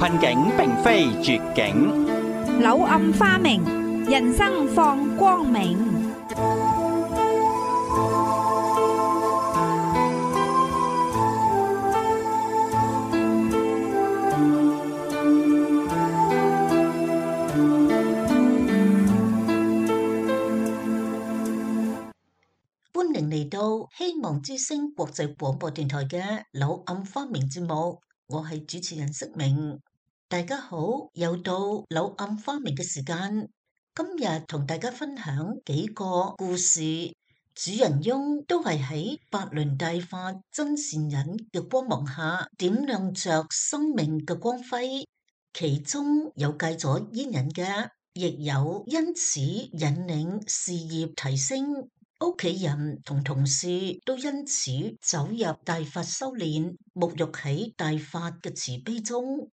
困境並非絕境，柳暗花明，人生放光明。歡迎嚟到希望之聲國際廣播電台嘅柳暗花明節目，我係主持人色明。大家好，又到柳暗花明嘅時間。今日同大家分享幾個故事，主人翁都係喺法輪大法真善忍嘅光芒下點亮着生命嘅光輝，其中有戒咗煙癮嘅，亦有因此引領事業提升。屋企人同同事都因此走入大法修煉，沐浴喺大法嘅慈悲中，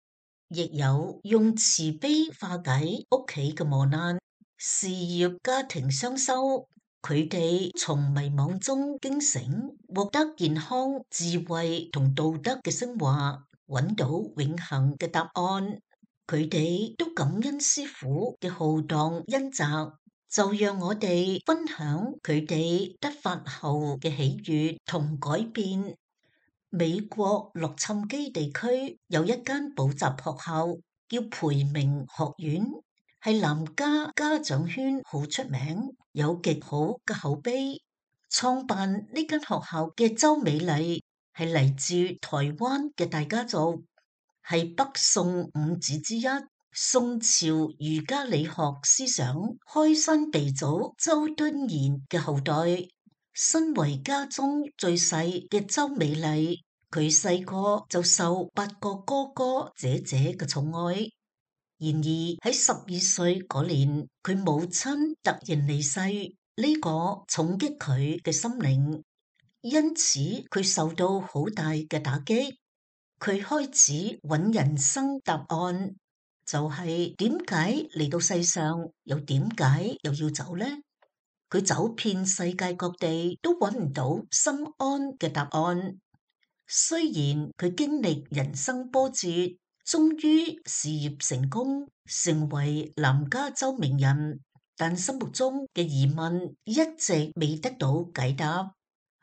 亦有用慈悲化解屋企嘅磨難，事業家庭雙修。佢哋從迷惘中驚醒，獲得健康、智慧同道德嘅升華，揾到永恆嘅答案。佢哋都感恩師父嘅浩蕩恩澤。就讓我哋分享佢哋得法後嘅喜悅同改變。美國洛杉磯地區有一間補習學校叫培明學院，係男家家長圈好出名，有極好嘅口碑。創辦呢間學校嘅周美麗係嚟自台灣嘅大家族，係北宋五子之一。宋朝儒家理學思想開山鼻祖周敦頤嘅後代，身為家中最細嘅周美麗，佢細個就受8個哥哥姐姐嘅寵愛。然而喺12歲嗰年，佢母親突然離世，呢個重擊佢嘅心靈，因此佢受到好大嘅打擊。佢開始揾人生答案。就係點解嚟到世上，又點解又要走呢？佢走遍世界各地都揾唔到心安嘅答案。雖然佢經歷人生波折，終於事業成功，成為男家周名人，但心目中嘅疑問一直未得到解答。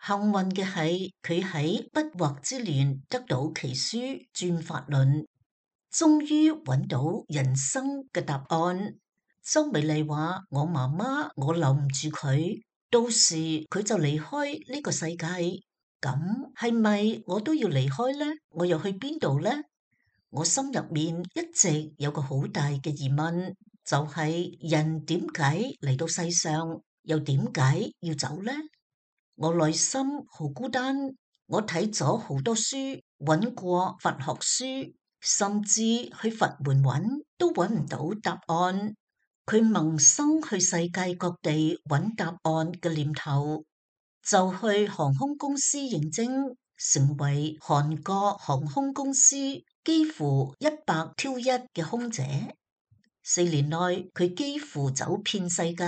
幸運嘅係，佢喺不惑之年得到奇書《轉法輪》。終於揾到人生嘅答案。周美麗話：我媽媽，我留唔住佢，到時佢就離開呢個世界。咁係咪我都要離開呢？我又去邊度呢？我心入面一直有個好大嘅疑問，就係人點解嚟到世上，又點解要走呢？我內心好孤單，我睇咗好多書，揾過佛學書。甚至去佛門揾都揾唔到答案。佢萌生去世界各地揾答案嘅念頭，就去航空公司應徵，成為韓國航空公司幾乎100挑1嘅空姐。4年內佢幾乎走遍世界，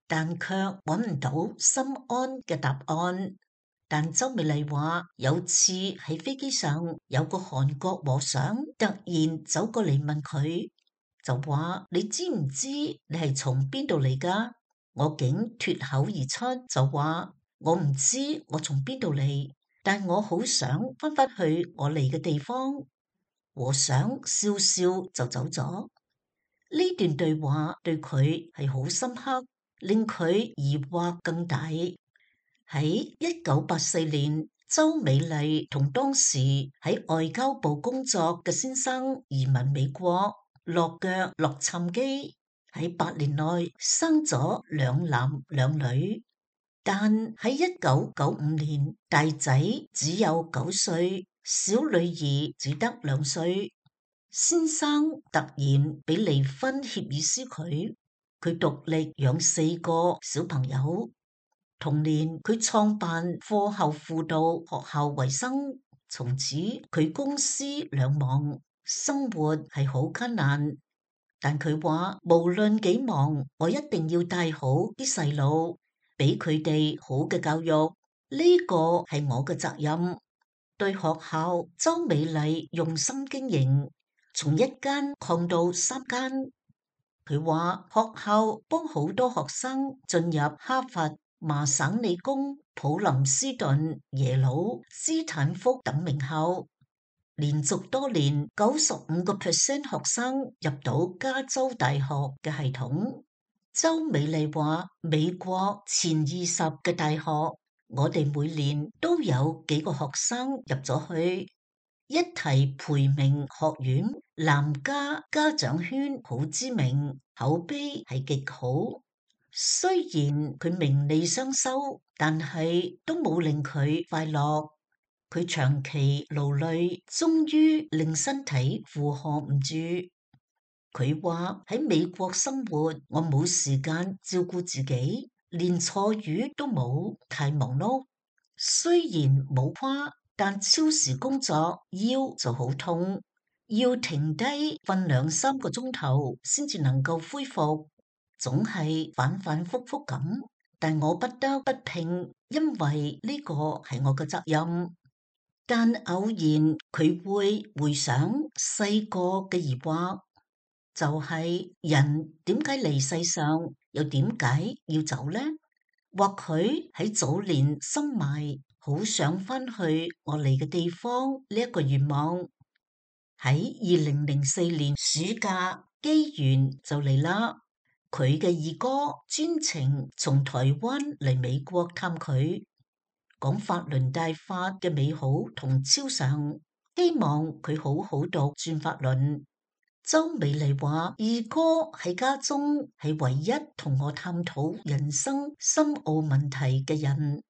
但卻揾唔到心安嘅答案。但周美麗話，有次喺飛機上，有個韓國和尚突然走過嚟問佢，就話：你知唔知你係從邊度嚟㗎？我竟脫口而出就話：我唔知我從邊度嚟，但我好想翻返去我嚟嘅地方。和尚笑笑就走咗。呢段對話對佢係好深刻，令佢疑惑更大。喺1984年，周美麗同當時喺外交部工作嘅先生移民美國，落腳洛杉磯，喺8年內生咗2男2女。但喺1995年，大仔只有9歲，小女兒只得2歲。先生突然俾離婚協議書佢獨力養4個小朋友。同年，佢創辦課後輔導學校為生，從此佢公私兩忙，生活係好艱難。但佢話無論幾忙，我一定要帶好啲細路，俾佢哋好嘅教育，呢個係我嘅責任。對學校，周美麗用心經營，從1間擴到3間。佢話學校幫好多學生進入哈佛、麻省理工、普林斯頓、耶魯、斯坦福等名校，連續多年95% 學生入到加州大學嘅系統。周美麗話：美國前20嘅大學，我哋每年都有幾個學生入咗去。一提培明學院，南加家長圈好知名，口碑係極好。雖然佢名利雙收，但係都冇令佢快樂。佢長期勞累，終於令身體負荷唔住。佢話喺美國生活，我冇時間照顧自己，連坐月都冇，太忙碌。雖然冇誇，但超時工作腰就好痛，要停低瞓2-3個鐘頭先至能夠恢復，總係反反复复咁。但我不得不拼，因為呢個係我嘅責任。但偶然佢會回想細個嘅疑惑，就係人點解嚟世上，又點解要走呢？或許喺早年深埋，好想翻去我嚟嘅地方呢一個願望。喺2004年暑假，機緣就嚟啦。佢嘅二哥專程從台灣嚟美國探佢，講法輪大法嘅美好同超常，希望佢好好讀轉法輪。周美麗話：二哥喺家中係唯一同我探討人生深奧問題嘅人。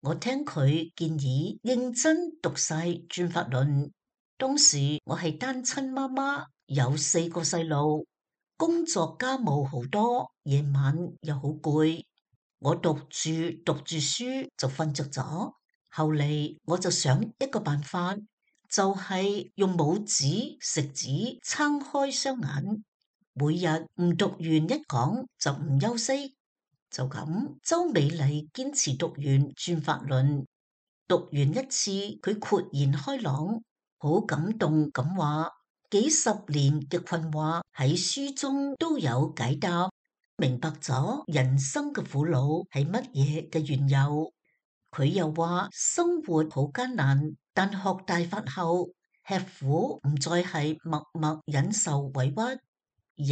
我聽佢建議認真讀晒轉法輪。當時我係單親媽媽，有4個細路，工作家務好多，夜晚又好攰。我讀住書就瞓着咗。後嚟我就想一個辦法，就係用拇指、食指撐開雙眼，每日唔讀完一講就唔休息。就咁，周美麗堅持讀完轉法輪，讀完一次佢豁然開朗，好感動咁話：幾十年嘅困惑喺書中都有解答，明白咗人生嘅苦惱係乜嘢嘅緣由。佢又話生活好艱難，但學大法後吃苦唔再係默默忍受委屈，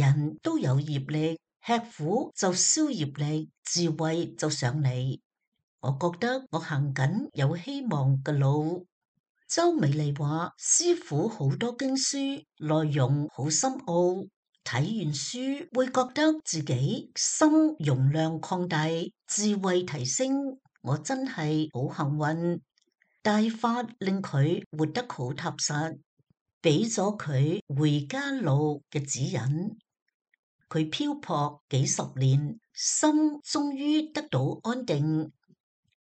人都有業力，吃苦就消業力，智慧就上嚟。我覺得我行緊有希望嘅路。周美麗話師父好多經書內容好深奧，睇完書會覺得自己心容量擴大，智慧提升。我真係好幸運，大法令佢活得好踏實，俾咗佢回家路嘅指引。佢漂泊幾十年，心終於得到安定。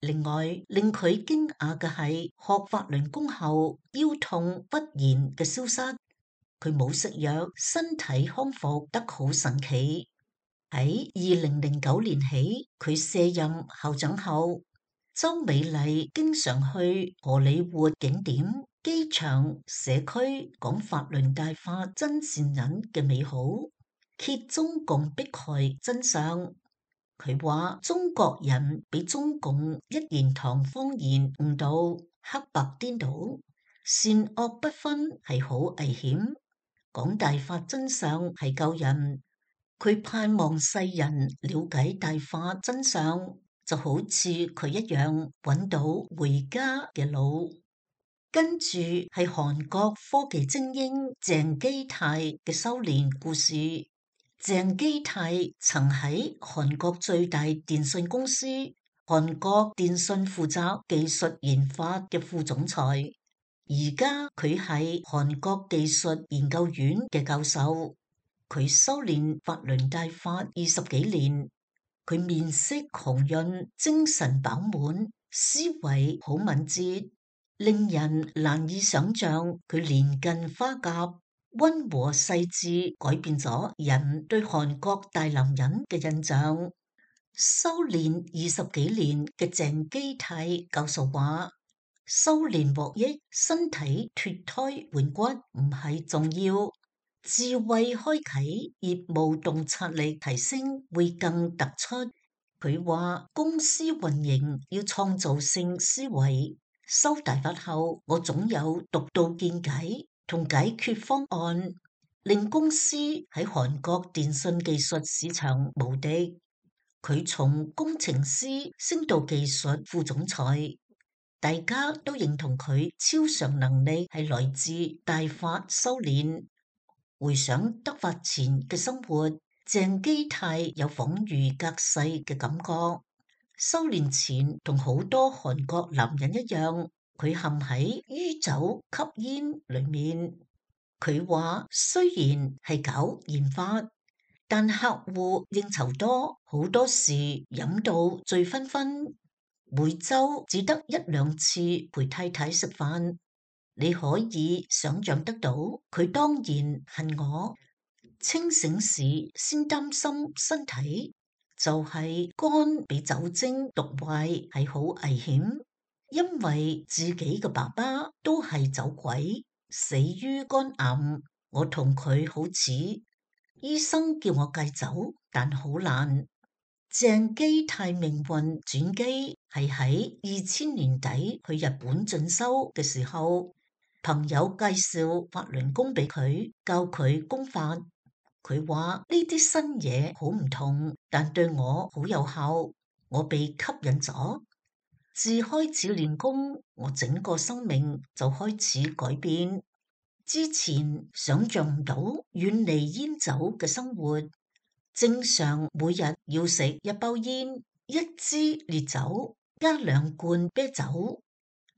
另外令佢驚訝嘅係學法輪功後腰痛不言嘅消失，佢冇食藥，身體康復得好神奇。喺2009年起，佢卸任校長後，周美麗經常去荷里活景點、機場、社區講法輪大法真善忍嘅美好，揭中共迫害真相。佢話中國人俾中共一言堂謊言誤導，黑白顛倒，善惡不分係好危險。講大法真相係救人，佢盼望世人了解大法真相，就好似佢一樣揾到回家嘅路。跟住係韓國科技精英鄭基泰嘅修煉故事。鄭基泰曾喺韓國最大電信公司韓國電信負責技術研發嘅副總裁，而家佢係韓國技術研究院嘅教授。佢修煉法輪大法20幾年，佢面色紅潤，精神飽滿，思維好敏捷，令人難以想象佢年近花甲。溫和細緻改變咗人對韓國大男人嘅印象。修煉20幾年嘅鄭基泰教授話：修煉獲益，身體脫胎換骨唔係重要，智慧開啟，業務洞察力提升會更突出。佢話公司運營要創造性思維。收大發後，我總有獨到見解同解決方案，令公司喺韓國電信技術市場無敵。佢從工程師升到技術副總裁，大家都認同佢超常能力係來自大法修煉。回想德法前嘅生活，鄭基泰有恍如隔世嘅感覺。修煉前同好多韓國男人一樣，佢陷喺酗酒吸煙裏面。佢話雖然係搞研發，但客戶應酬多，好多時飲到醉醺醺，每周只得1-2次陪太太食飯。你可以想象得到，佢當然恨我。清醒時先擔心身體，就係肝被酒精毒壞係好危險，因為自己嘅爸爸都係酒鬼，死於肝癌。我同佢好似，醫生叫我戒酒，但好難。鄭基泰命運轉機係喺2000年底去日本進修嘅時候，朋友介紹法輪功俾佢，教佢功法。佢話呢啲新嘢好唔同，但對我好有效，我被吸引咗。自開始練功，我整個生命就開始改變。之前想象唔到遠離煙酒嘅生活，正常每日要食1包煙、1支烈酒加2罐啤酒。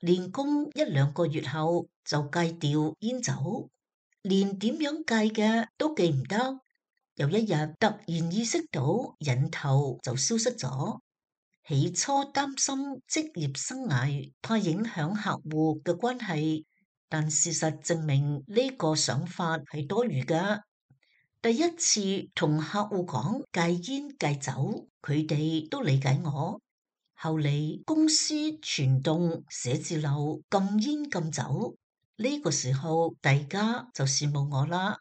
練功1-2個月後就戒掉煙酒，連點樣戒嘅都記唔得。有一日突然意識到癮頭就消失咗。起初擔心職業生涯，怕影響客戶嘅關係，但事實證明呢個想法係多餘嘅。第一次同客戶講戒煙戒酒，佢哋都理解我。後嚟公司全棟寫字樓禁煙禁酒，呢個時候大家就羨慕我啦。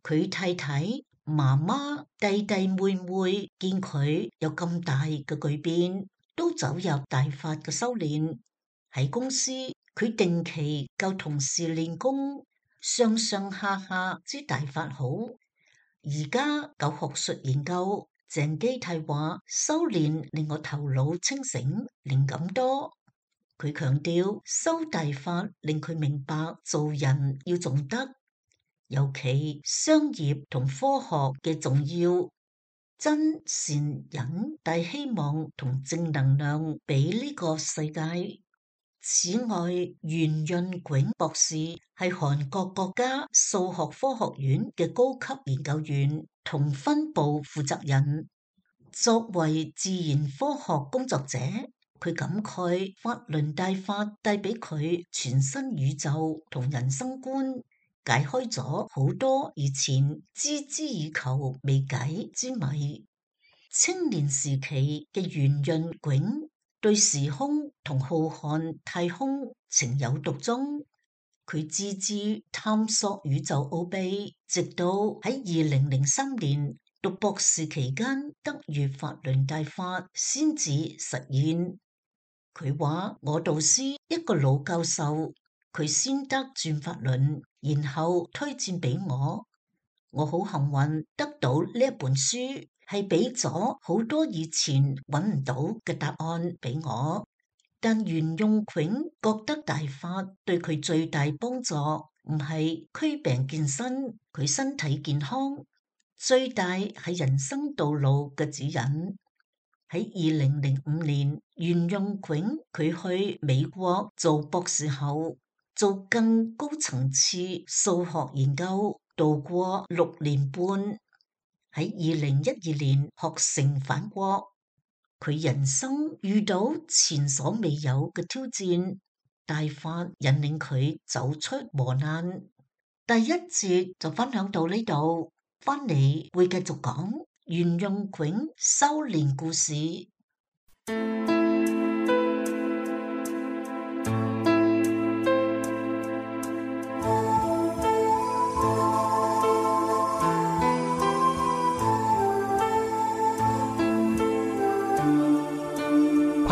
佢太太、媽媽、弟弟妹妹見佢有咁大嘅巨變，都走入大法嘅修煉。喺公司，佢定期教同事練功，上上下下知大法好。而家搞學術研究，鄭基泰話修煉令我頭腦清醒，靈感多。佢強調修大法令佢明白做人要重德，尤其商業同科學嘅重要，真善忍帶希望同正能量俾呢個世界。此外，袁潤炯博士係韓國國家數學科學院嘅高級研究員同分部負責人。作為自然科學工作者，佢感慨法輪大法帶俾佢全新宇宙同人生觀，解開咗好多以前孜孜以求未解之謎。青年時期嘅袁潤炯對時空同浩瀚太空情有獨鍾，佢孜孜探索宇宙奧秘，直到喺2003年讀博士期間得遇法輪大法先至實現。佢話我導師一個老教授，佢先得轉法輪，然後推薦俾我。我好幸運得到呢一本書，係俾咗好多以前揾唔到嘅答案俾我。但袁潤炯覺得大法對佢最大幫助唔係驅病健身，佢身體健康，最大係人生道路嘅指引。喺2005年，袁潤炯佢去美國做博士後，做更高層次數學研究，度過6年半。喺2012年學成返國，佢人生遇到前所未有嘅挑戰，大法引領佢走出磨難。第一節就分享到呢度，翻嚟會繼續講袁潤炯修煉故事。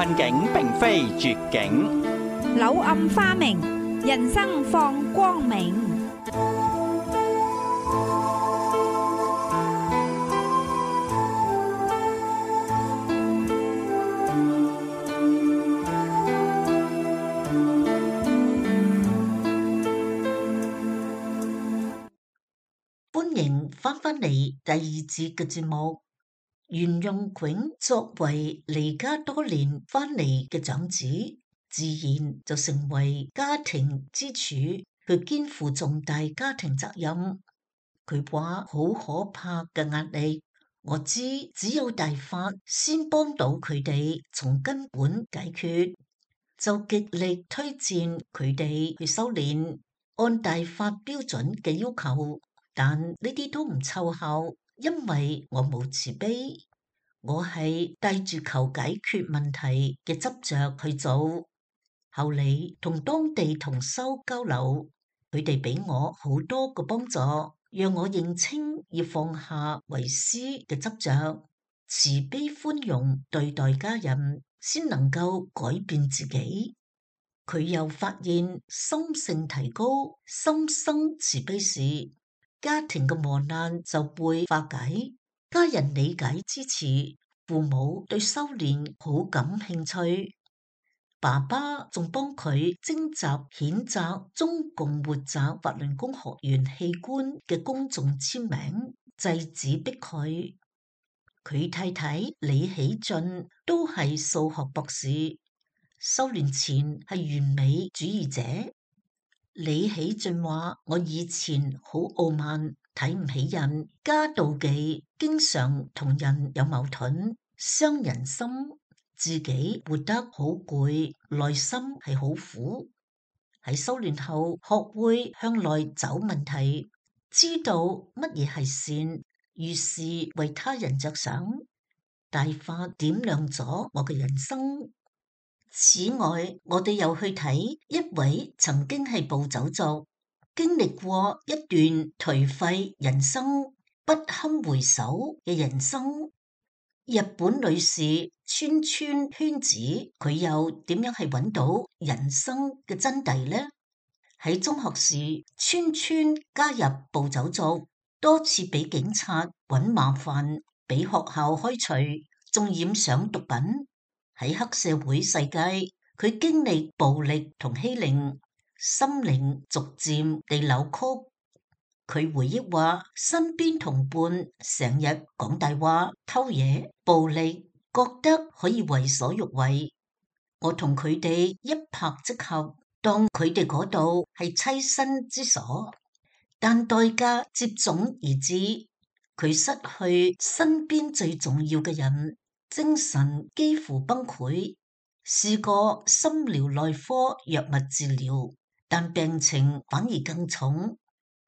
困境並非絕境，柳暗花明，人生放光明。歡迎翻嚟第二節嘅節目。袁用炯作為離家多年翻嚟嘅長子，自然就成為家庭支柱，佢肩負重大家庭責任。佢話好可怕嘅壓力，我知只有大法先幫到佢哋從根本解決，就極力推薦佢哋去修煉，按大法標準嘅要求。但呢啲都唔湊效，因為我冇慈悲，我係帶住求解決問題嘅執着去做。後嚟同當地同修交流，佢哋俾我好多個幫助，讓我認清要放下為師嘅執着，慈悲寬容對待家人，先能夠改變自己。佢又發現心性提高，心生慈悲時，家庭嘅磨難就會化解，家人理解支持，父母對修煉好感興趣。爸爸仲幫佢徵集譴責中共活摘法輪功學員器官嘅公眾簽名，制止迫害。佢太太李喜俊都係數學博士，修煉前係完美主義者。李喜俊話：我以前好傲慢，睇唔起人，加妒忌，經常同人有矛盾，傷人心，自己活得好攰，內心係好苦。喺修煉後，學會向內找問題，知道乜嘢係善，於是為他人着想，大法點亮咗我嘅人生。此外，我哋又去睇一位曾經係暴走族，經歷過一段頹廢人生、不堪回首嘅人生。日本女士川川圈子，佢又點樣係揾到人生嘅真諦呢？喺中學時，川川加入暴走族，多次俾警察揾麻煩，俾學校開除，仲染上毒品。喺黑社會世界，佢經歷暴力同欺凌，心靈逐漸地扭曲。佢回憶話，身邊同伴成日講大話、偷嘢、暴力，覺得可以為所欲為。我同佢哋一拍即合，當佢哋嗰度係棲身之所，但代價接踵而至，佢失去身邊最重要嘅人。精神幾乎崩潰，試過心療內科藥物治療，但病情反而更重。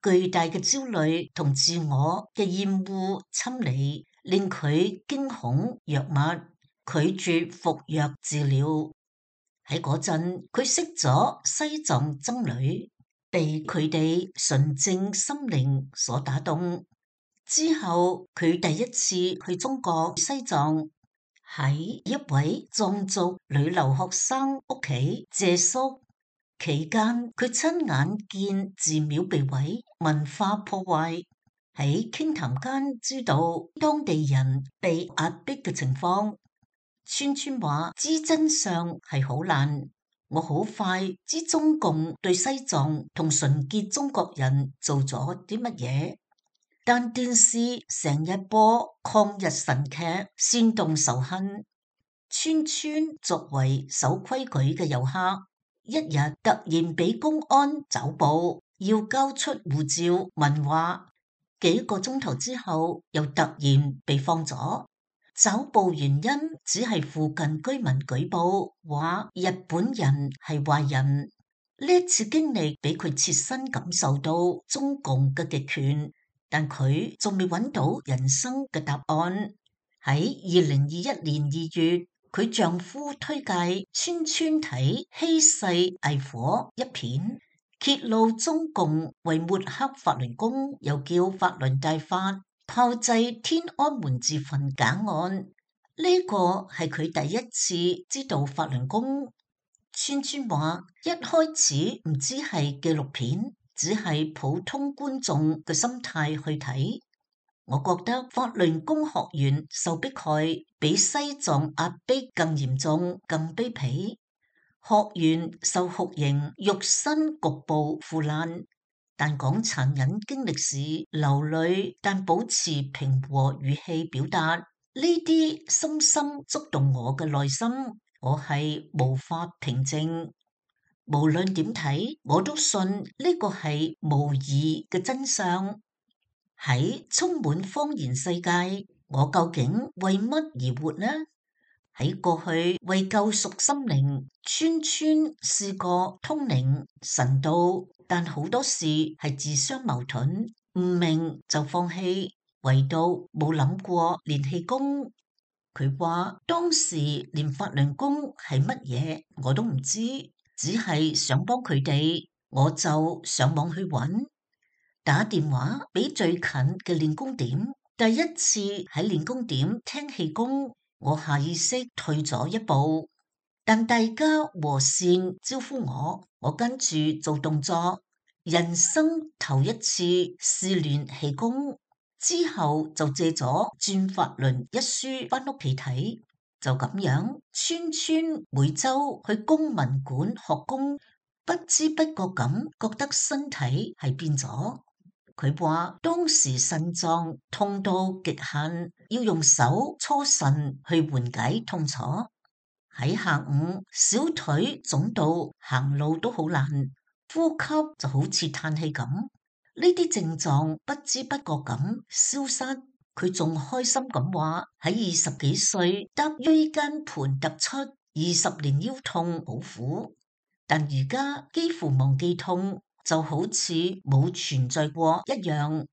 巨大嘅焦慮同自我嘅厭惡侵離，令佢驚恐藥物，拒絕服藥治療。喺嗰陣，佢識咗西藏僧侶，被佢哋純正心靈所打動。之後，佢第一次去中國西藏，喺一位藏族女留學生屋企借宿期間，佢親眼見寺廟被毀，文化破壞。喺傾談間知道當地人被壓迫嘅情況。川川話：知真相係好難，我好快知中共對西藏同純潔中國人做咗啲乜嘢。但電視成日播抗日神劇，煽動仇恨。川川作為守規矩嘅遊客，一日突然俾公安抓捕，要交出護照、問話。幾個鐘頭之後，又突然被放咗。抓捕原因只係附近居民舉報，話日本人係壞人。呢一次經歷俾佢切身感受到中共嘅極權。但佢仲未揾到人生嘅答案。喺2021年2月，佢丈夫推介川川睇《稀世藝火》一片，揭露中共為抹黑法輪功，又叫法輪大法炮製天安門自焚假案。呢個係佢第一次知道法輪功。川川話一開始唔知係紀錄片，只係普通觀眾嘅心態去睇。我覺得法輪功學員受迫害比西藏壓迫更嚴重、更卑鄙。學員受酷刑，肉身局部腐爛，但講殘忍經歷時流淚，但保持平和語氣表達，呢啲深深觸動我嘅內心，我係無法平靜。無論點睇，我都信呢個係無疑嘅真相。喺充滿謊言世界，我究竟為乜而活呢？喺過去為救贖心靈，川川試過通靈神道，但好多事係自相矛盾，唔明就放棄，唯獨冇諗過練氣功。佢話當時連法輪功係乜嘢我都唔知，只係想幫佢哋，我就上網去揾，打電話俾最近嘅練功點。第一次喺練功點聽氣功，我下意識退咗一步，但大家和善招呼我跟住做動作，人生頭一次試練氣功。之後就借咗《轉法輪》一書返屋企睇，就咁樣，川川每周去公民館學功，不知不覺咁覺得身體係變咗。佢話當時腎臟痛到極限，要用手搓腎去緩解痛楚。喺下午小腿腫到行路都好難，呼吸就好似嘆氣咁。呢啲症狀不知不覺咁消失，佢仲開心咁話喺20幾歲得椎間盤突出，20年腰痛好苦，但而家幾乎忘記痛，就好似冇存在過一樣。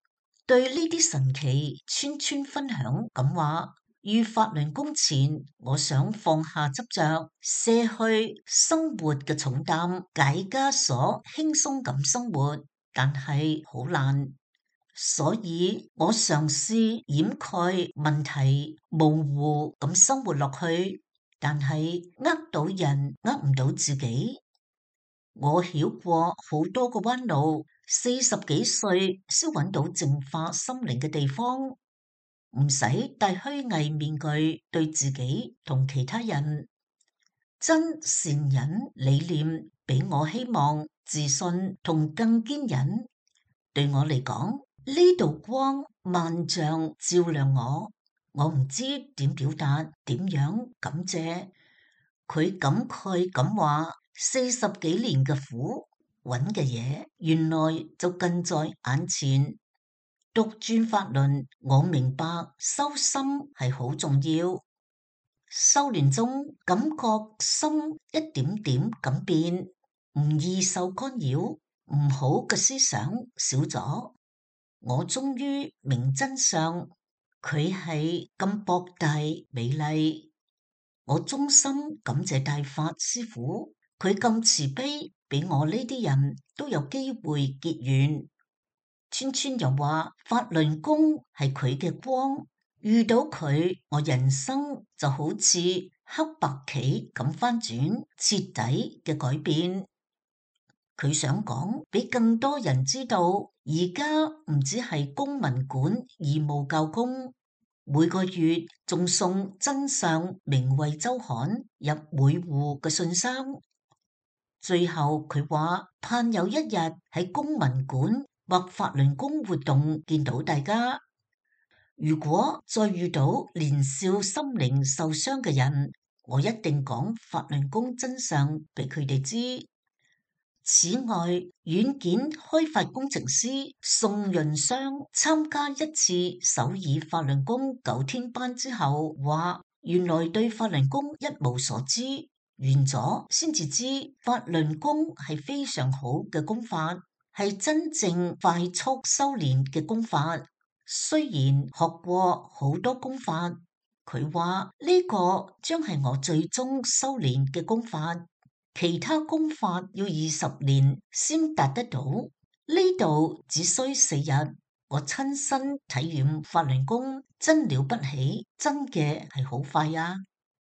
對呢啲神奇，川川分享咁話，於法輪功前，我想放下執着，卸去生活嘅重擔，解枷鎖，輕鬆咁生活。但係好難，所以我嘗試掩蓋問題，模糊咁生活落去，但係呃到人，呃唔到自己。我曉過好多個彎路，40幾歲先揾到淨化心靈嘅地方，唔使戴虛偽面具對自己同其他人。真善忍理念俾我希望、自信同更堅忍。對我嚟講，呢道光萬丈照亮我唔知點表達，點樣感謝。佢感慨咁話：40幾年嘅苦，揾嘅嘢原來就近在眼前。讀轉法輪，我明白修心係好重要。修煉中感覺心一點點咁變，唔易受干擾，唔好嘅思想少咗。我終於明真相，佢係咁博大美麗。我衷心感謝大法師父，佢咁慈悲，俾我呢啲人都有機會結緣。川川又話法輪功係佢嘅光。遇到佢，我人生就好似黑白棋咁翻轉，徹底嘅改變。佢想講俾更多人知道，而家唔止係公民館義務教工，每個月仲送真相名慧周刊入每戶嘅信箱。最後佢話盼有一日喺公民館或法輪功活動見到大家。如果再遇到年少心靈受傷嘅人，我一定講法輪功真相俾佢哋知。此外，軟件開發工程師宋潤商參加一次首爾法輪功9天班之後，話原來對法輪功一無所知，完咗先至知法輪功係非常好嘅功法，係真正快速修煉嘅功法。雖然學過好多功法，佢話呢個將係我最終修煉嘅功法，其他功法要20年先達得到，呢度只需4日。我親身體驗法輪功真了不起，真嘅係好快啊！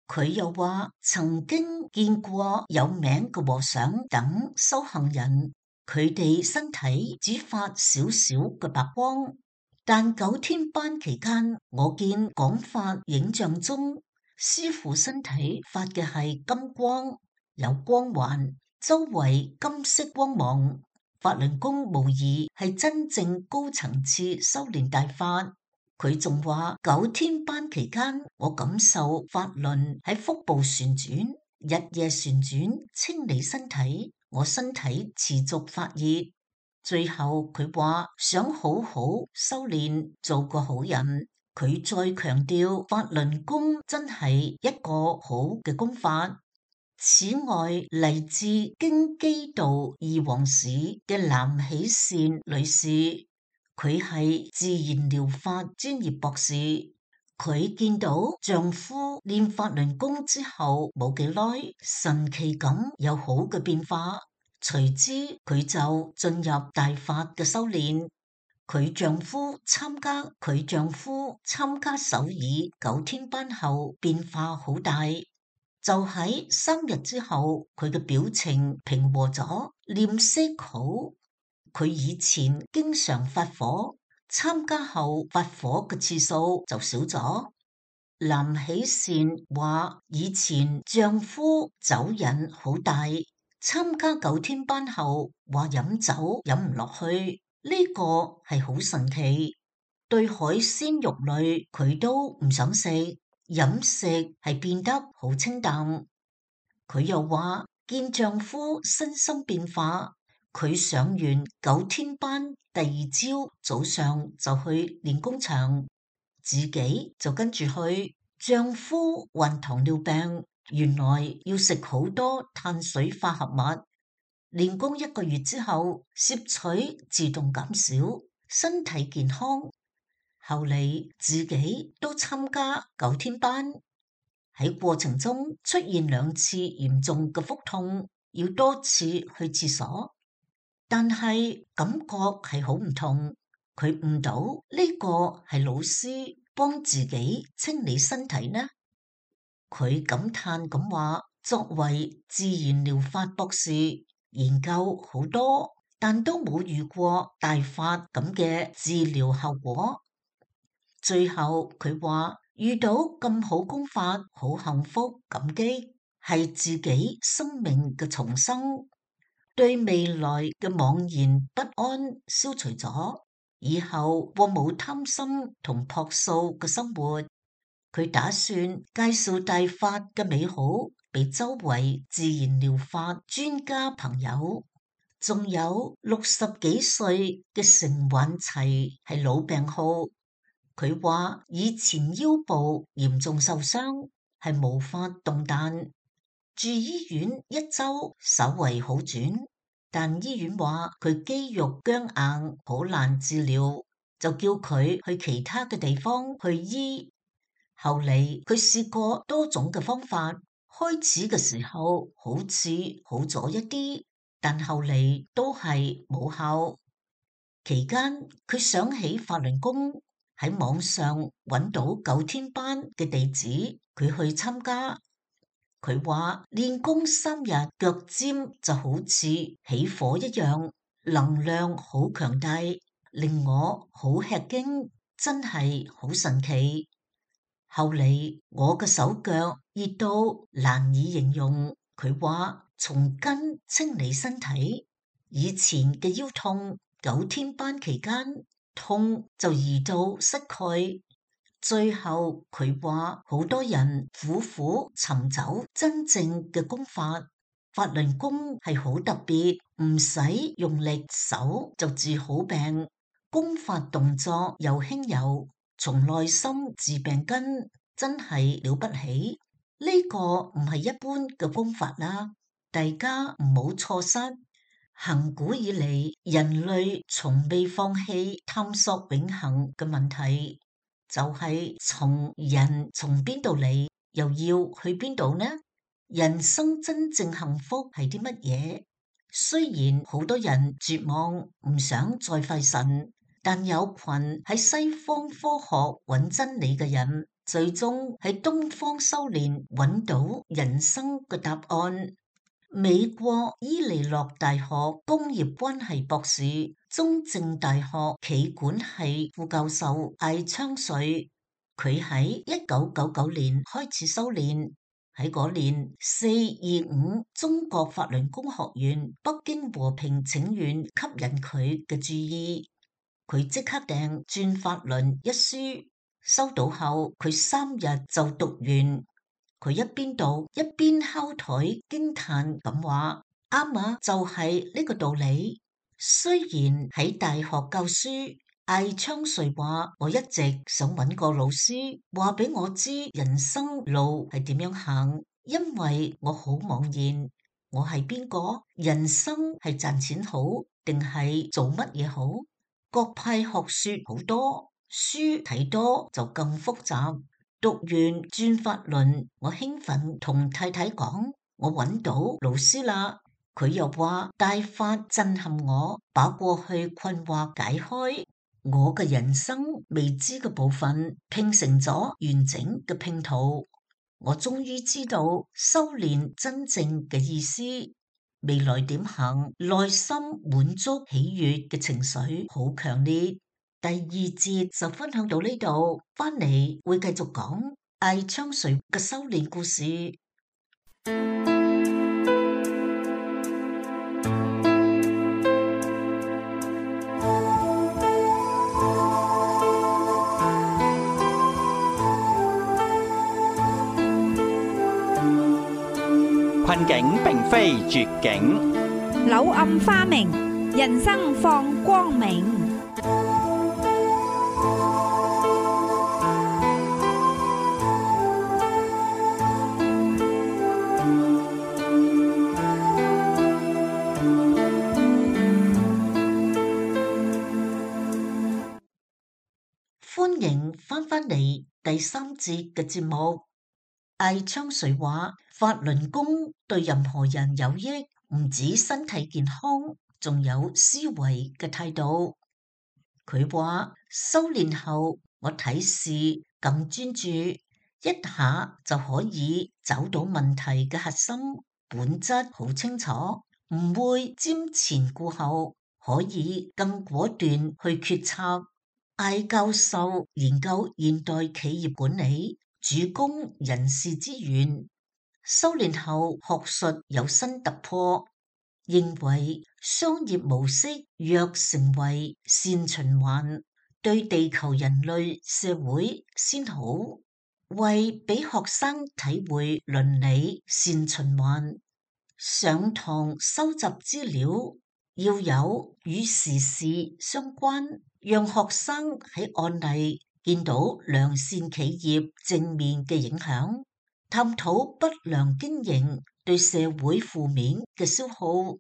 佢又話曾經見過有名嘅和尚等修行人，佢哋身體只發少少嘅白光，但9天班期間，我見廣發影像中，師父身體發嘅係金光，有光環，周圍金色光芒。法輪功無疑係真正高層次修煉大法。佢仲話9天班期間，我感受法輪喺腹部旋轉，日夜旋轉，清理身體，我身體持續發熱。最後佢話想好好修煉，做個好人。佢再強調法輪功真係一個好嘅功法。此外，嚟自京畿道義皇市嘅藍喜善女士，佢係自然療法專業博士。佢見到丈夫練法輪功之後冇幾耐，神奇咁有好嘅變化，隨之佢就進入大法嘅修煉。佢丈夫參加首爾9天班後變化好大。就喺3日之後，佢嘅表情平和咗，臉色好。佢以前經常發火，參加後發火嘅次數就少咗。藍喜善話以前丈夫酒癮好大，參加9天班後話飲酒飲唔落去，呢個係好神奇。對海鮮肉類佢都唔想食。飲食係變得好清淡。佢又話見丈夫身心變化，佢上完9天班，第2朝早上就去練功場，自己就跟住去。丈夫患糖尿病，原來要食好多碳水化合物。練功1個月之後，攝取自動減少，身體健康。後嚟自己都參加9天班，喺過程中出現2次嚴重嘅腹痛，要多次去廁所，但係感覺係好唔同。佢悟到呢個係老師幫自己清理身體呢。佢感嘆咁話：作為自然療法博士，研究好多，但都冇遇過大法咁嘅治療效果。最後佢話遇到咁好功法，好幸福感激，係自己生命嘅重生，對未來嘅茫然不安消除咗，以後過冇貪心同樸素嘅生活。佢打算介紹大法嘅美好俾周圍自然療法專家朋友。仲有60幾歲嘅成允齊係老病號。佢話以前腰部嚴重受傷，係無法動彈，住醫院1周稍為好轉，但醫院話佢肌肉僵硬，好難治療，就叫佢去其他嘅地方去醫。後嚟佢試過多種嘅方法，開始嘅時候好似好咗一啲，但後嚟都係冇效。期間佢想起法輪功，喺網上揾到9天班嘅地址，佢去參加。佢話練功3日，腳尖就好似起火一樣，能量好強大，令我好吃驚，真係好神奇。後嚟我嘅手腳熱到難以形容。佢話從根清理身體，以前嘅腰痛，9天班期間痛就移到膝蓋。最後佢話好多人苦苦尋找真正嘅功法，法輪功係好特別，唔使用力手就治好病，功法動作又輕柔，從內心治病根，真係了不起。呢個唔係一般嘅功法啦，大家唔好錯失。恆古以嚟，人類從未放棄探索永恆嘅問題，就係從邊度嚟，又要去邊度呢？人生真正幸福係啲乜嘢？雖然好多人絕望，唔想再拜神，但有群喺西方科學揾真理嘅人，最終喺東方修煉揾到人生嘅答案。美國伊利諾大學工業關係博士、中正大學企管系副教授艾昌瑞，佢喺1999年開始修煉。喺嗰年425中國法輪功學院北京和平請願吸引佢嘅注意，佢即刻訂《轉法輪》一書，收到後佢3日就讀完。佢一邊讀一邊敲台驚嘆咁話：啱啊，就係呢個道理。雖然喺大學教書，艾昌瑞話：我一直想揾個老師話俾我知人生路係點樣行，因為我好茫然，我係邊個？人生係賺錢好定係做乜嘢好？各派學說好多，書睇多就更複雜。讀完轉法輪，我興奮同太太講：我揾到老師啦！佢又話大法震撼我，把過去困惑解開，我嘅人生未知嘅部分拼成咗完整嘅拼圖。我終於知道修煉真正嘅意思，未來點行，內心滿足喜悅嘅情緒好強烈。第2節就分享到呢度，翻嚟會繼續講艾昌瑞嘅修煉故事。困境並非絕境，柳暗花明，人生放光明。歡迎翻嚟第3節嘅節目。艾昌瑞話：法輪功對任何人有益，唔止身體健康，仲有思維嘅態度。佢話修煉後，我睇事更專注，一下就可以找到問題嘅核心本質，好清楚，唔會瞻前顧後，可以更果斷去決策。艾教授研究現代企業管理，主攻人事資源，修煉後學術有新突破，認為商業模式若成為善循環，對地球人類社會先好。為俾學生體會倫理善循環，上堂收集資料要有與時事相關，讓學生喺案例見到良善企業正面嘅影響，探討不良經營對社會負面嘅消耗。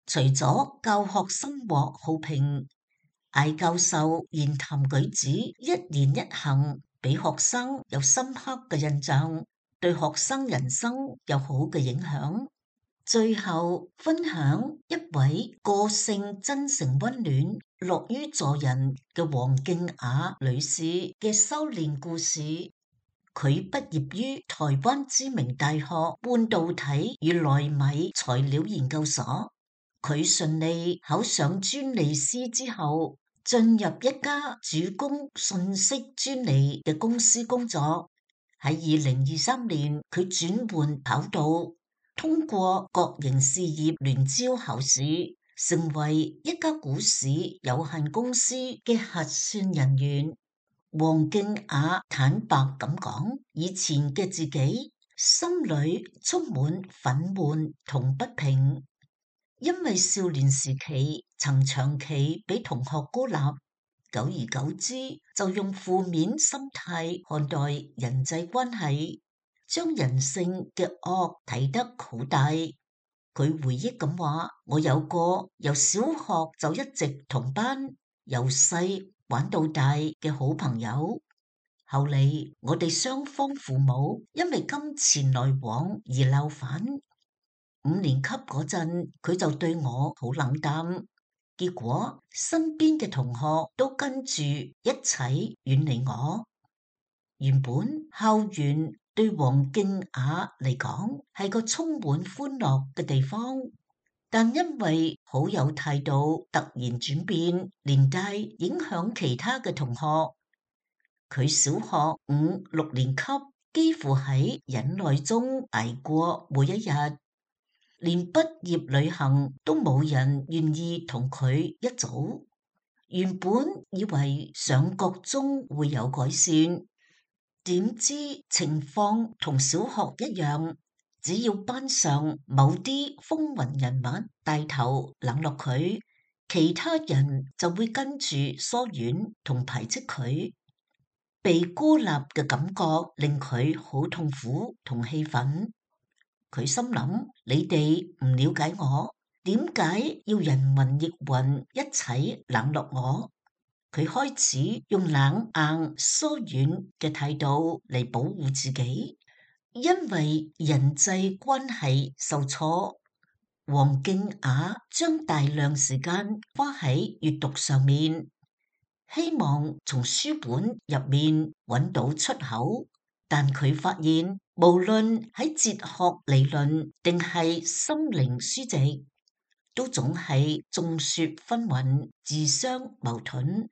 除咗教學生活好評，艾教授言談舉止一言一行俾學生有深刻嘅印象，對學生人生有好嘅影響。最後分享一位個性真誠溫暖、樂於助人嘅黃敬雅女士嘅修煉故事。佢畢業於台灣知名大學半導體與奈米材料研究所。佢順利考上專利師之後，進入一家主攻信息專利嘅公司工作。喺2023年，佢轉換跑道，通過國營事業聯招考試，成為一家股市有限公司嘅核算人員。黃敬雅坦白咁講，以前嘅自己心裏充滿憤懣同不平，因為少年時期曾長期俾同學孤立，久而久之就用負面心態看待人際關係，將人性嘅惡睇得好大。佢回憶咁話：我有個由小學就一直同班，由細玩到大嘅好朋友。後嚟我哋雙方父母因為金錢來往而鬧翻。5年級嗰陣，佢就對我好冷淡。結果身邊嘅同學都跟住一齊遠離我。原本校園對黃敬雅嚟講係個充滿歡樂嘅地方，但因為好友態度突然轉變，連帶影響其他嘅同學。佢小學5、6年級幾乎喺忍耐中捱過每一日，連畢業旅行都冇人願意同佢一組。原本以為上國中會有改善，點知情況同小學一樣，只要班上某啲風雲人物帶頭冷落佢，其他人就會跟住疏遠同排斥佢。被孤立嘅感覺令佢好痛苦同氣憤。佢心諗：你哋唔了解我，點解要人云亦云一齊冷落我？佢開始用冷硬疏遠嘅態度嚟保護自己，因為人際關係受挫。黃敬雅將大量時間花喺閱讀上面，希望從書本入面揾到出口，但佢發現無論喺哲學理論定係心靈書籍，都總係眾說紛紜、自相矛盾，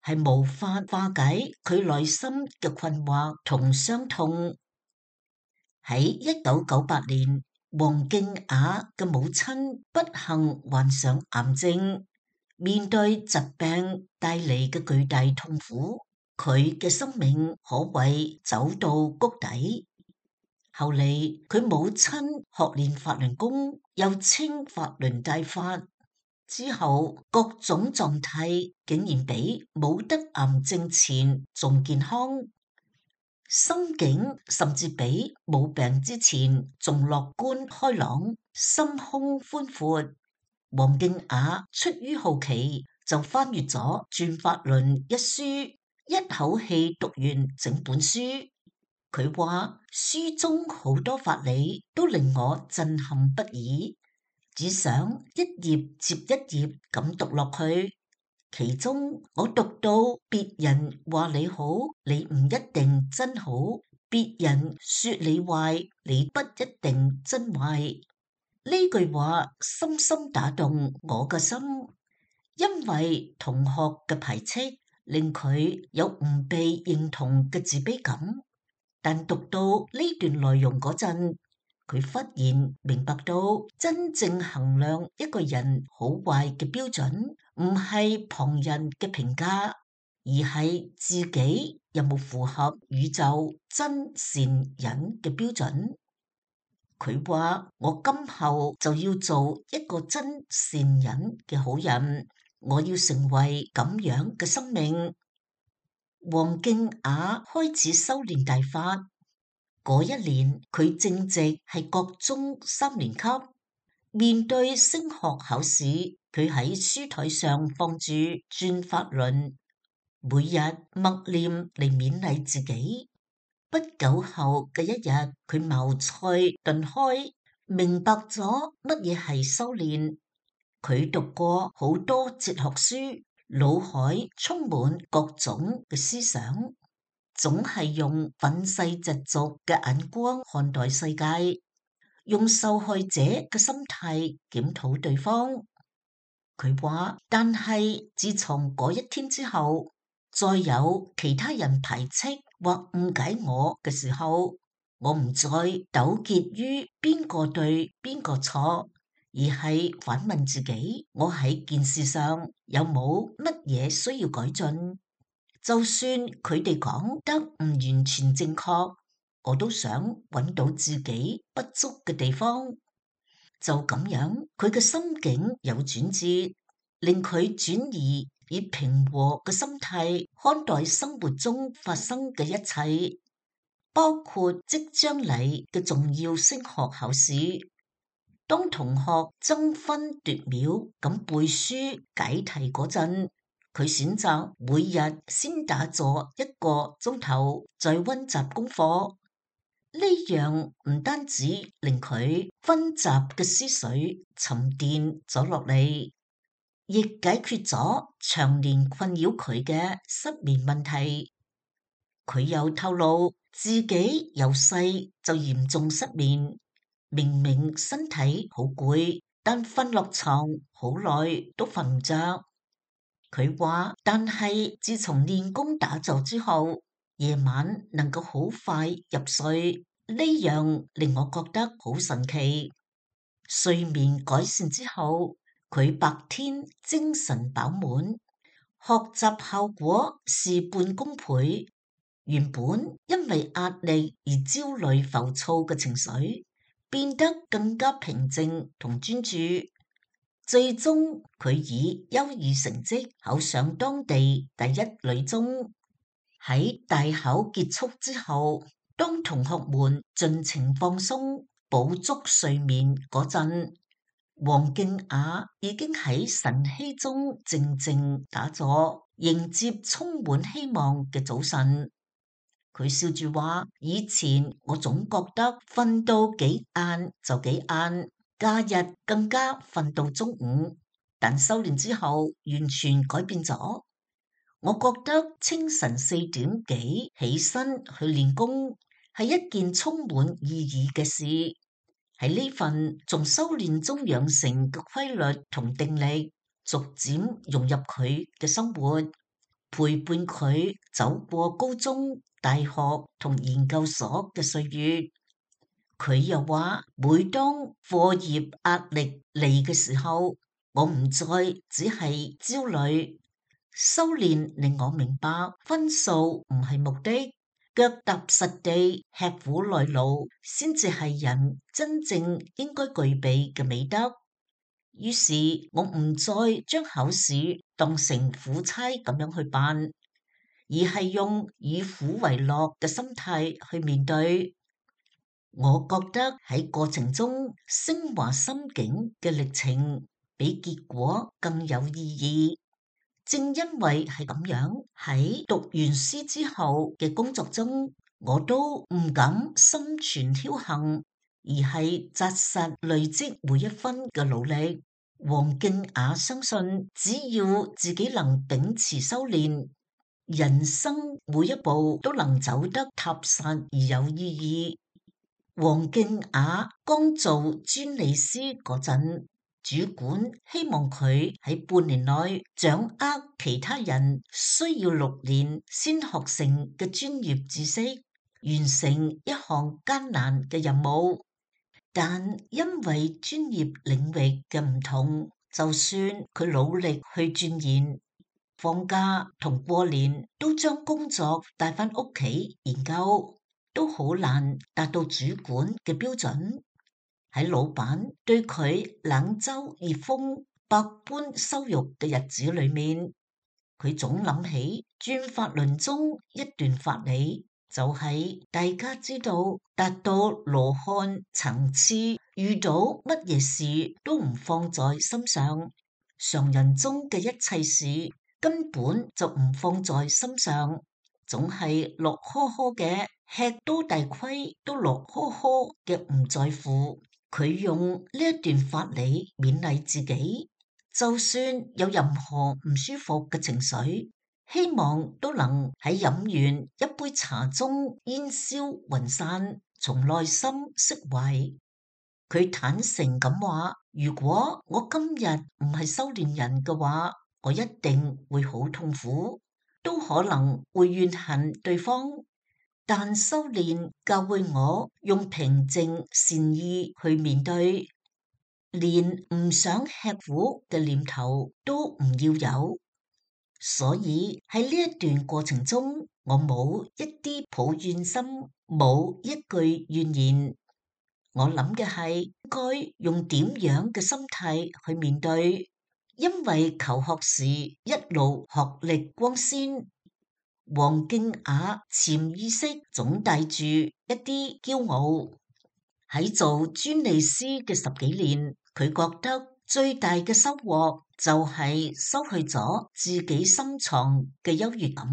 係無法化解佢內心嘅困惑同傷痛。喺1998年，黃敬雅嘅母親不幸患上癌症，面對疾病帶嚟嘅巨大痛苦，佢嘅生命可謂走到谷底。後嚟佢母親學練法輪功，又稱法輪大法，之後各種狀態竟然比冇得癌症前仲健康，心境甚至比冇病之前仲樂觀開朗，心胸寬闊。黃敬雅出於好奇，就翻閱咗《轉法輪》一書，一口氣讀完整本書。佢話書中好多法理都令我震撼不已，只想一頁接一頁咁讀落去。其中我讀到別人話你好，你唔一定真好；別人說你壞，你不一定真壞。呢句話深深打動我嘅心，因為同學嘅排斥令佢有唔被認同嘅自卑感。但讀到呢段內容嗰陣，佢忽然明白到真正衡量一個人好壞嘅標準，唔係旁人嘅評價，而係自己有冇符合宇宙真善忍嘅標準。佢話：我今後就要做一個真善忍嘅好人，我要成為咁樣嘅生命。黃敬雅開始修煉大法嗰一年，佢正值係國中3年級，面對升學考試，佢喺書台上放住《轉法輪》，每日默念嚟勉勵自己。不久後嘅一日，佢茅塞頓開，明白咗乜嘢係修煉。佢讀過好多哲學書，腦海充滿各種嘅思想，總係用憤世嫉俗嘅眼光看待世界，用受害者嘅心態檢討對方。佢話，但係自從嗰一天之後，再有其他人排斥或誤解我嘅時候，我唔再糾結於邊個對邊個錯，而係反問自己，我喺件事上有冇乜嘢需要改進？就算佢哋講得唔完全正確，我都想揾到自己不足嘅地方。就咁樣，佢嘅心境有轉折，令佢轉移以平和嘅心態看待生活中發生嘅一切，包括即將嚟嘅重要升學考試。當同學爭分奪秒咁背書解題嗰陣，佢選擇每日先打坐1個鐘頭，再溫習功課。呢樣唔單止令佢紛雜嘅思緒沉澱咗落嚟，亦解決咗長年困擾佢嘅失眠問題。佢又透露自己由細就嚴重失眠，明明身體好攰，但瞓落床好耐都瞓唔着。佢話，但係自從練功打坐之後，夜晚能夠好快入睡，呢樣令我覺得好神奇。睡眠改善之後，佢白天精神飽滿，學習效果事半功倍。原本因為壓力而焦慮浮躁嘅情緒，變得更加平靜同專注。最終佢以優異成績考上當地第一女中。喺大考結束之後，當同學們盡情放鬆、補足睡眠嗰陣，黃敬雅已經喺晨曦中靜靜打坐，迎接充滿希望嘅早晨。佢笑住話：以前我總覺得瞓到幾晏就幾晏，假日更加瞓到中午，但修煉之後完全改變咗。我覺得清晨4點幾起身去練功係一件充滿意義嘅事，喺呢份從修煉中養成嘅規律同定力，逐漸融入佢嘅生活，陪伴佢走過高中、大學同研究所嘅歲月。佢又話，每當課業壓力嚟嘅時候，我唔再只係焦慮。修煉令我明白，分數唔係目的，腳踏實地、吃苦耐勞，先至係人真正應該具備嘅美德。於是我唔再將考試當成苦差咁樣去辦，而係用以苦為樂嘅心態去面對。我覺得喺過程中升華心境嘅歷程，比結果更有意義。正因為係咁樣，喺讀完書之後嘅工作中，我都唔敢心存僥倖，而係紮實累積每一分嘅努力。黃敬雅相信，只要自己能秉持修煉，人生每一步都能走得踏實而有意義。黃敬雅剛做專利師嗰陣，主管希望佢喺半年內掌握其他人需要6年先學成嘅專業知識，完成一項艱難嘅任務。但因為專業領域嘅唔同，就算佢努力去鑽研，放假同過年都將工作帶返屋企研究，都好難達到主管嘅標準。喺老闆對佢冷嘲熱諷、百般羞辱嘅日子裏面，佢總諗起轉法輪中一段法理，就係大家知道達到羅漢層次，遇到乜嘢事都唔放在心上，常人中嘅一切事根本就唔放在心上，總係樂呵呵嘅，吃多大虧都樂呵呵嘅唔在乎。佢用呢一段法理勉勵自己，就算有任何唔舒服嘅情緒，希望都能喺飲完一杯茶中煙消雲散，從內心釋懷。佢坦誠咁話：如果我今日唔係修煉人嘅話，我一定會好痛苦，都可能會怨恨對方。但修煉教會我用平靜善意去面對，連唔想吃苦嘅念頭都唔要有。所以喺呢一段過程中，我冇一啲抱怨心，冇一句怨言。我諗嘅係應該用點樣嘅心態去面對，因為求學時一路學歷光鮮。黃敬雅潛意識總帶住一啲驕傲，喺做專利師嘅10幾年，佢覺得最大嘅收穫就係收去咗自己深藏嘅優越感，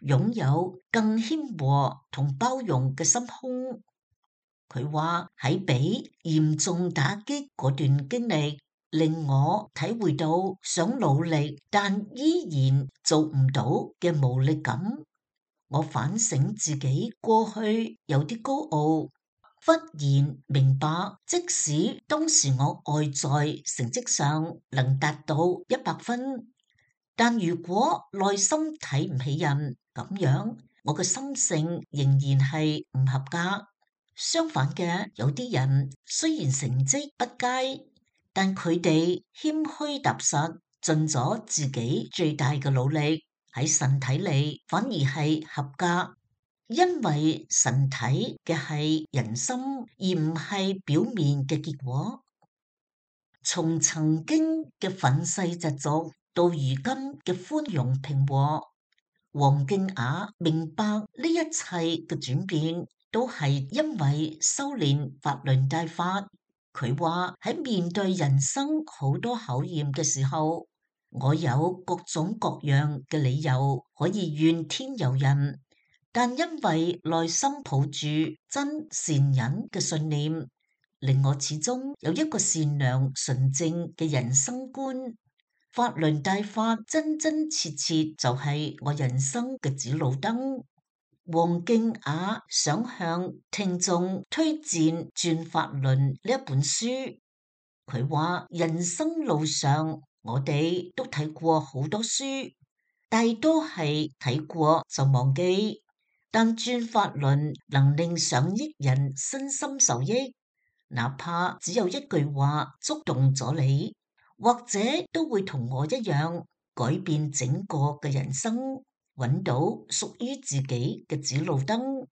擁有更謙和同包容嘅心胸。佢話喺俾嚴重打擊嗰段經歷，令我體會到想努力但依然做唔到嘅無力感。我反省自己過去有啲高傲，忽然明白，即使當時我外在成績上能達到100分，但如果內心睇唔起人，咁樣我嘅心性仍然係唔合格。相反嘅，有啲人雖然成績不佳，但佢哋謙虛踏實，盡咗自己最大嘅努力，喺神睇嚟反而係合格。因為神睇嘅係人心，而唔係表面嘅結果。從曾經嘅憤世嫉俗到如今嘅寬容平和，黃敬雅明白呢一切嘅轉變都係因為修煉法輪大法。佢話喺面對人生好多考驗嘅時候，我有各種各樣嘅理由可以怨天尤人。但因為內心抱住真善忍嘅信念，令我始終有一個善良純正嘅人生觀。法輪大法真真切切就係我人生嘅指路燈。黃敬雅想向聽眾推薦《轉法輪》呢一本書。佢話人生路上我哋都睇過好多書，大多係睇過就忘記。但轉法輪能令上億人身心受益，哪怕只有一句話觸動咗你，或者都會同我一樣改變整個嘅人生，揾到屬於自己嘅指路燈。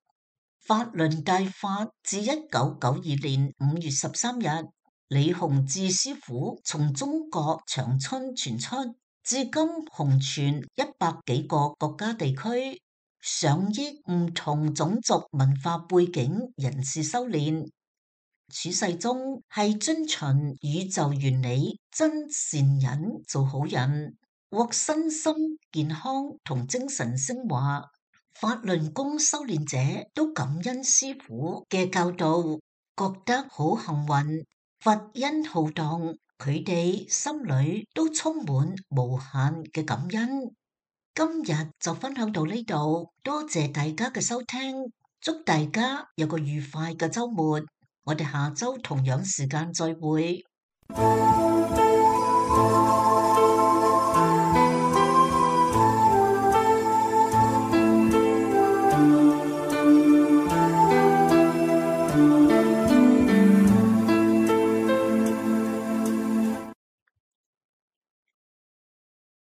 法輪大法自1992年5月13日，李洪志師傅從中國長春傳出，至今紅傳100幾個國家地區。上億唔同種族文化背景人士修煉，處世中係遵循宇宙原理，真善忍做好人，獲身心健康同精神升華。法輪功修煉者都感恩師父嘅教導，覺得好幸運，佛恩浩蕩，佢哋心裏都充滿無限嘅感恩。今日就分享到呢度，多謝大家嘅收聽，祝大家有個愉快嘅週末，我哋下週同樣時間再會。